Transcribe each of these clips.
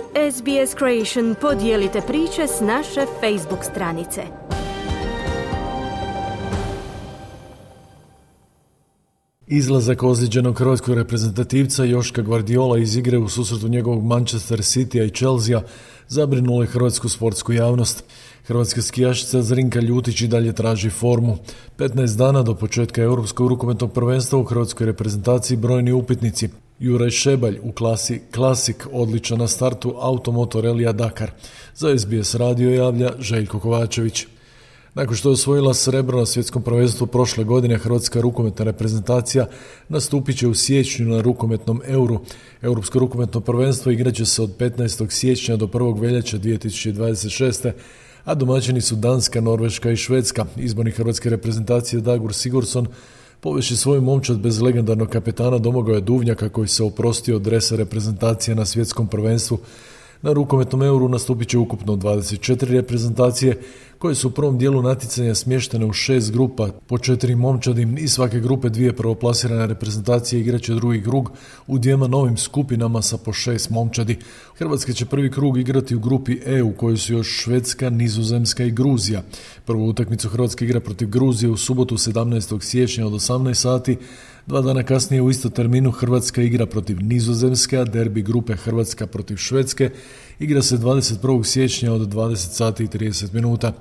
SBS Creation podijelite priče s naše Facebook stranice. Izlazak ozlijeđenog hrvatskog reprezentativca Joška Gvardiola iz igre u susretu njegovog Manchester Citya i Chelsea zabrinula je hrvatsku sportsku javnost. Hrvatska skijašica Zrinka Ljutić i dalje traži formu. 15 dana do početka Europskog rukometnog prvenstva u hrvatskoj reprezentaciji brojni upitnici. Juraj Šebalj u klasi Classic odličan na startu Automoto Relija Dakar. Za SBS radio javlja Željko Kovačević. Nakon što je osvojila srebro na svjetskom prvenstvu prošle godine, hrvatska rukometna reprezentacija nastupit će u siječnju na rukometnom Euru. Europsko rukometno prvenstvo igraće se od 15. siječnja do 1. veljače 2026. a domaćini su Danska, Norveška i Švedska. Izbornik hrvatske reprezentacije Dagur Sigurdsson poveši svoju momčad bez legendarnog kapetana Domagoja Duvnjaka koji se oprostio od dresa reprezentacije na svjetskom prvenstvu. Na rukometnom Euru nastupit će ukupno 24 reprezentacije koje su u prvom dijelu natjecanja smještene u 6 grupa po 4 momčadi i svake grupe 2 prvoplasirane reprezentacije igraće drugi krug u 2 novim skupinama sa po 6 momčadi. Hrvatska će prvi krug igrati u grupi E u kojoj su još Švedska, Nizozemska i Gruzija. Prvu utakmicu Hrvatska igra protiv Gruzije u subotu 17. siječnja od 18 sati. 2 dana kasnije u isto terminu Hrvatska igra protiv Nizozemske, a derbi grupe Hrvatska protiv Švedske igra se 21. siječnja od 20 sati i 30 minuta.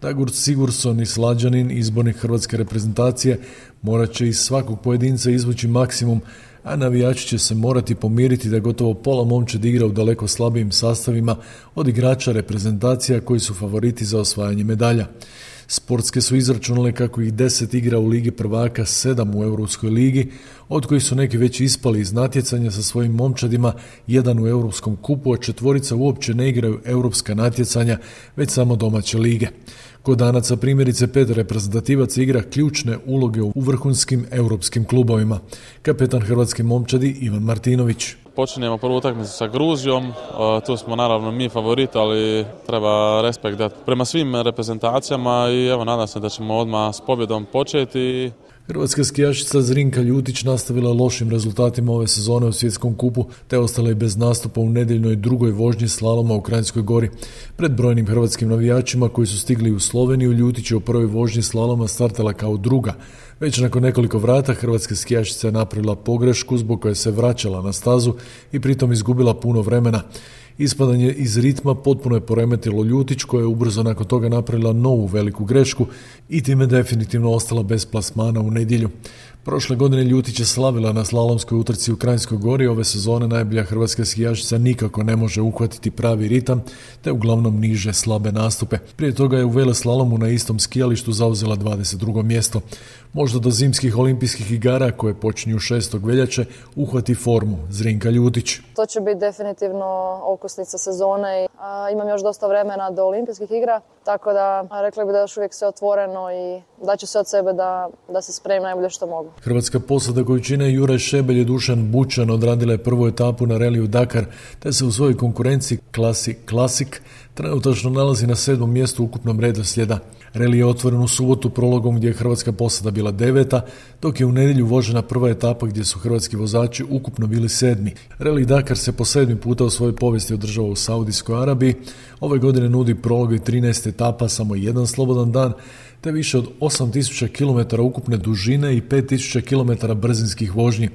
Dagur Sigurdsson i Slađanin, izbornik hrvatske reprezentacije, morat će iz svakog pojedinca izvući maksimum, a navijači će se morati pomiriti da gotovo pola momčad igra u daleko slabijim sastavima od igrača reprezentacija koji su favoriti za osvajanje medalja. Sportske su izračunale kako ih 10 igra u Ligi prvaka, 7 u Europskoj ligi, od kojih su neki već ispali iz natjecanja sa svojim momčadima, 1 u Europskom kupu, a 4 uopće ne igraju europska natjecanja, već samo domaće lige. Kod Danaca primjerice 5 reprezentativaca igra ključne uloge u vrhunskim europskim klubovima. Kapetan hrvatske momčadi Ivan Martinović. Počinjemo prvu utakmicu sa Gruzijom, tu smo naravno mi favoriti, ali treba respekt dati prema svim reprezentacijama i evo nadam se da ćemo odmah s pobjedom početi. Hrvatska skijašica Zrinka Ljutić nastavila lošim rezultatima ove sezone u svjetskom kupu, te ostala i bez nastupa u nedjeljnoj drugoj vožnji slaloma u Kranjskoj Gori. Pred brojnim hrvatskim navijačima koji su stigli u Sloveniju, Ljutić je u prvoj vožnji slaloma startala kao druga. Već nakon nekoliko vrata hrvatska skijašica je napravila pogrešku zbog koje se vraćala na stazu i pritom izgubila puno vremena. Ispadanje iz ritma potpuno je poremetilo Ljutić koja je ubrzo nakon toga napravila novu veliku grešku i time definitivno ostala bez plasmana u nedjelju. Prošle godine Ljutić je slavila na slalomskoj utrci u Kranjskoj Gori, ove sezone najbolja hrvatska skijašica nikako ne može uhvatiti pravi ritam, te uglavnom niže slabe nastupe. Prije toga je u veleslalomu na istom skijalištu zauzela 22. mjesto. Možda do zimskih olimpijskih igara koje počinju 6. veljače uhvati formu Zrinka Ljutić. To će biti definitivno okosnica sezone. Imam još dosta vremena do olimpijskih igra, tako da rekla bih da je još uvijek sve otvoreno i da će se od sebe da se spremim najbolje što mogu. Hrvatska posada koju čine Juraj Šebelj i Dušan Bučan odradila je prvu etapu na reliju Dakar, te se u svojoj konkurenciji klasi Classic trenutačno nalazi na 7. mjestu ukupnom redoslijeda. Reli je otvoren u subotu prologom gdje je hrvatska posada bila 9, dok je u nedjelju vožena prva etapa gdje su hrvatski vozači ukupno bili 7. Reli Dakar se po 7. puta u svojoj povijesti održava u Saudijskoj Arabiji. Ove godine nudi prolog i 13 etapa, samo jedan slobodan dan, te više od 8000 km ukupne dužine i 5000 km brzinskih vožnji.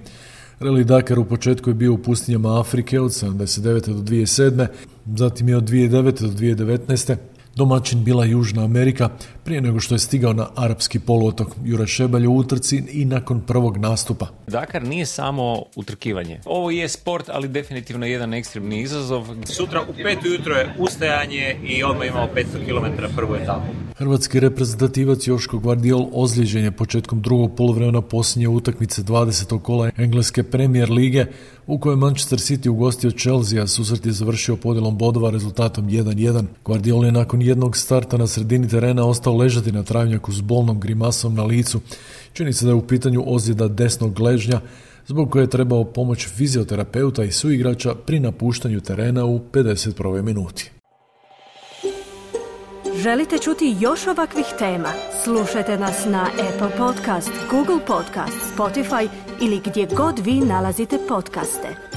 Reli Dakar u početku je bio u pustinjama Afrike od 79. do 2007. Zatim je od 2009. do 2019. domaćin bila Južna Amerika prije nego što je stigao na arapski poluotok. Juraj Šebalj u utrci i nakon prvog nastupa. Dakar nije samo utrkivanje. Ovo je sport, ali definitivno jedan ekstremni izazov. Sutra u 5 ujutro je ustajanje i odmah imamo 500 km prvu etapu. Hrvatski reprezentativac Joško Gvardiol ozlijeđen je početkom drugog poluvremena posljednje utakmice 20. kola engleske Premier lige u kojoj Manchester City ugostio Chelsea, a susret je završio podjelom bodova rezultatom 1-1. Gvardiol je nakon jednog starta na sredini terena ostao ležati na travnjaku s bolnom grimasom na licu. Čini se da je u pitanju ozljeda desnog gležnja, zbog koje je trebao pomoć fizioterapeuta i suigrača pri napuštanju terena u 51. minuti. Želite čuti još ovakvih tema? Slušajte nas na Apple Podcast, Google Podcast, Spotify ili gdje god vi nalazite podcaste.